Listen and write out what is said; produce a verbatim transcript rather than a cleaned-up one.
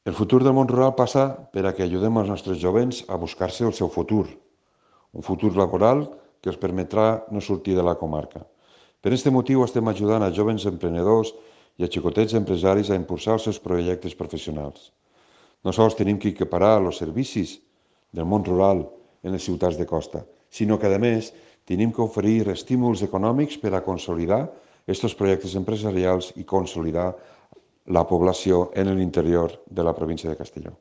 El futur del món rural passa per a que ajudem els nostres jovents a buscar-se el seu futur, un futur laboral que els permetrà no sortir de la comarca. Per aquest motiu estem ajudant a jovens emprenedors i a xicotets empresaris a impulsar els seus projectes professionals. No sols tenim que equiparar els servicis del món rural en les ciutats de costa, sinó que, a més, tenim que oferir estímuls econòmics per a consolidar aquests projectes empresarials i consolidar la població en l'interior de la província de Castelló.